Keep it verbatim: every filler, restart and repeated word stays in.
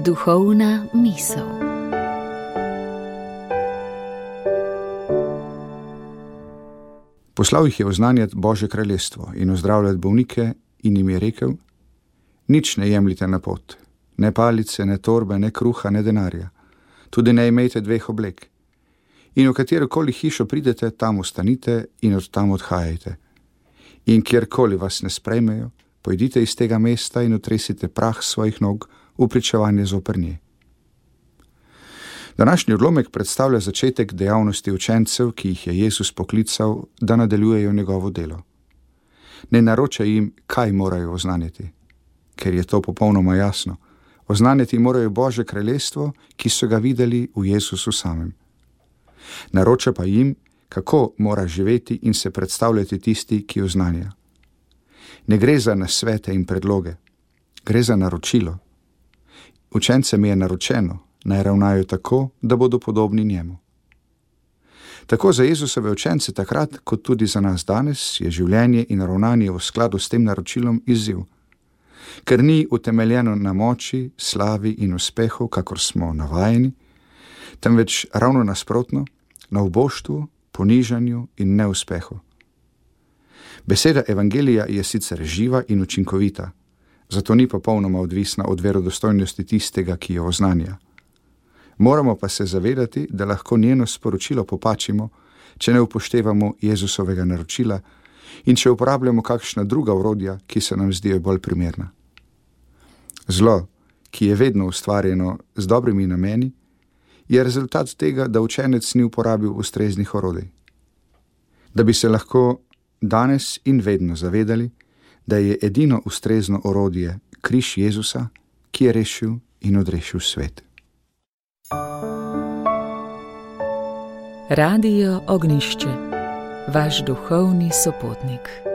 Duhovna misel. Poslal jih je oznanjati Božje kraljestvo in ozdravljati bolnike in jim je rekel: nič ne jemljite na pot, ne palice, ne torbe, ne kruha, ne denarja, tudi ne imejte dveh oblek. In v katerokoli hišo pridete, tam ostanite in od tam odhajajte. In kjerkoli vas ne sprejmejo, pojdite iz tega mesta in otresite prah svojih nog v pričevanje zoper nje. Današnji odlomek predstavlja začetek dejavnosti učencev, ki jih je Jezus poklical, da nadaljujejo njegovo delo. Ne naroča jim, kaj morajo oznanjati, ker je to popolnoma jasno. Oznanjati morajo Božje kraljestvo, ki so ga videli v Jezusu samem. Naroča pa jim, kako mora živeti in se predstavljati tisti, ki oznanja. Ne gre za nasvete in predloge, gre za naročilo. Učencem je naročeno, naj ravnajo tako, da bodo podobni njemu. Tako za Jezusove učence takrat, kot tudi za nas danes, je življenje in ravnanje v skladu s tem naročilom izziv, ker ni utemeljeno na moči, slavi in uspehu, kakor smo navajeni, temveč ravno nasprotno, na uboštvu, ponižanju in neuspehu. Beseda evangelija je sicer živa in učinkovita, zato ni popolnoma odvisna od verodostojnosti tistega, ki jo oznanja. Moramo pa se zavedati, da lahko njeno sporočilo popačimo, če ne upoštevamo Jezusovega naročila in če uporabljamo kakšna druga orodja, ki se nam zdijo bolj primerna. Zlo, ki je vedno ustvarjeno z dobrimi nameni, je rezultat tega, da učenec ni uporabil ustreznih orodij. Da bi se lahko danes in vedno zavedali, da je edino ustrezno orodje križ Jezusa, ki je rešil in odrešil svet. Radio Ognjišče, vaš duhovni sopotnik.